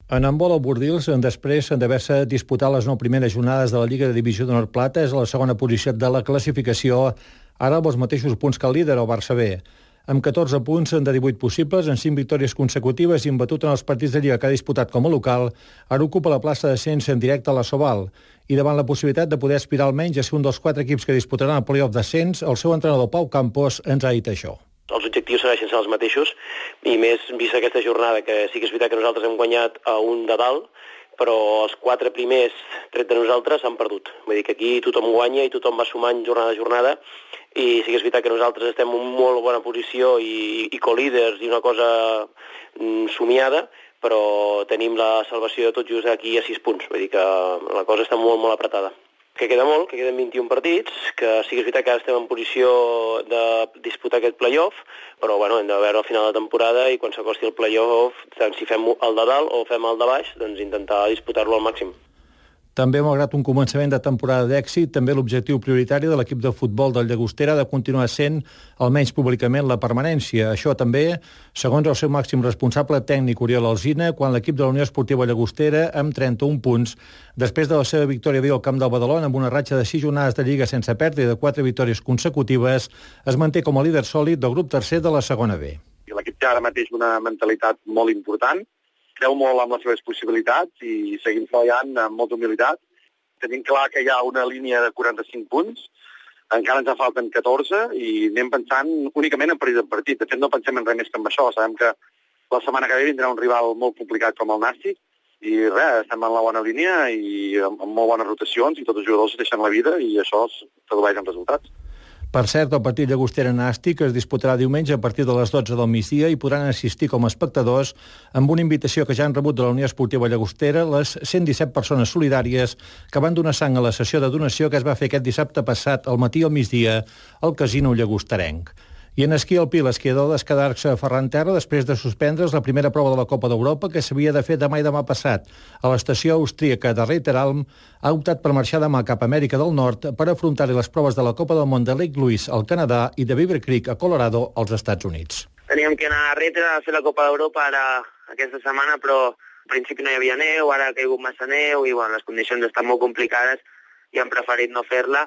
En handbol al Bordils, després d'haver-se disputat les 9 primeres jornades de la Lliga de Divisió d'Honor Plata, és a la segona posició de la classificació, ara amb els mateixos punts que el líder, el Barça B. Amb 14 punts de 18 possibles, en 5 victòries consecutives i imbatut en els partits de Lliga que ha disputat com a local, ara ocupa la plaça d'ascens en directe a la Sobal. I davant la possibilitat de poder aspirar almenys a ser un dels 4 equips que disputaran el play-off d'ascens, el seu entrenador Pau Campos ens ha dit això. Els objectius segueixen sent els mateixos, i més vist aquesta jornada, que sí que és veritat que nosaltres hem guanyat a un de dalt, però els 4 primers, tret de nosaltres, s'han perdut. Vull dir que aquí tothom guanya i tothom va sumant jornada a jornada, i sí que és veritat que nosaltres estem en molt bona posició i co-líders i una cosa somiada, però tenim la salvació tot just aquí a 6 punts. Vull dir que la cosa està molt, molt apretada. Que queda molt, que queden 21 partits, que sí que és veritat que ara estem en posició de disputar aquest play-off, però bueno, hem de veure al final de la temporada i quan s'acosti el play-off, tant si fem el de dalt o fem el de baix, doncs intentar disputar-lo al màxim. També, malgrat un començament de temporada d'èxit, també l'objectiu prioritari de l'equip de futbol del Llagostera ha de continuar sent, almenys públicament, la permanència. Això també, segons el seu màxim responsable tècnic, Oriol Alsina, quan l'equip de la Unió Esportiva Llagostera, amb 31 punts, després de la seva victòria ahir al camp del Badalona, amb una ratxa de 6 jornades de Lliga sense perdre i de 4 victòries consecutives, es manté com a líder sòlid del grup tercer de la segona B. L'equip té ara mateix una mentalitat molt important, creu molt amb les seves possibilitats i seguim treballant amb molta humilitat. Tenim clar que hi ha una línia de 45 punts, encara ens en falten 14 i anem pensant únicament en partit en partit. De fet, no pensem en res més que en això. Sabem que la setmana que ve vindrà un rival molt complicat com el Nàstic i res, estem en la bona línia i amb molt bones rotacions i tots els jugadors deixen la vida i això es tradueix en resultats. Per cert, el partit Llagostera-Nàstic es disputarà diumenge a partir de les 12 del migdia i podran assistir com a espectadors amb una invitació que ja han rebut de la Unió Esportiva Llagostera les 117 persones solidàries que van donar sang a la sessió de donació que es va fer aquest dissabte passat al matí al migdia al Casino Llagosterenc. I en esquí alpí, l'esquiador d'Escadarcs a Ferran Terra, després de suspendre's la primera prova de la Copa d'Europa, que s'havia de fer demà i demà passat a l'estació austríaca de Reiteralm, ha optat per marxar demà cap a Amèrica del Nord per afrontar-hi les proves de la Copa del Món de Lake Louise al Canadà i de Beaver Creek a Colorado als Estats Units. Teníem que anar a Reiteralm a fer la Copa d'Europa ara aquesta setmana, però al principi no hi havia neu, ara ha caigut massa neu i bueno, les condicions estan molt complicades i hem preferit no fer-la.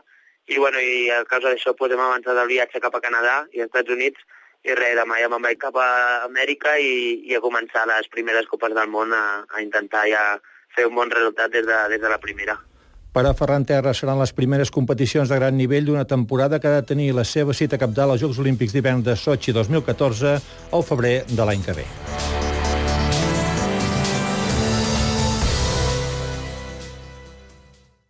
I a causa d'això hem avançat el viatge cap a Canadà i als Estats Units i res, demà ja me'n vaig cap a Amèrica i a començar les primeres Copes del Món a intentar ja fer un bon resultat des de la primera. Per a Ferran Terra seran les primeres competicions de gran nivell d'una temporada que ha de tenir la seva cita cabdal als Jocs Olímpics d'hivern de Sochi 2014 al febrer de l'any que ve.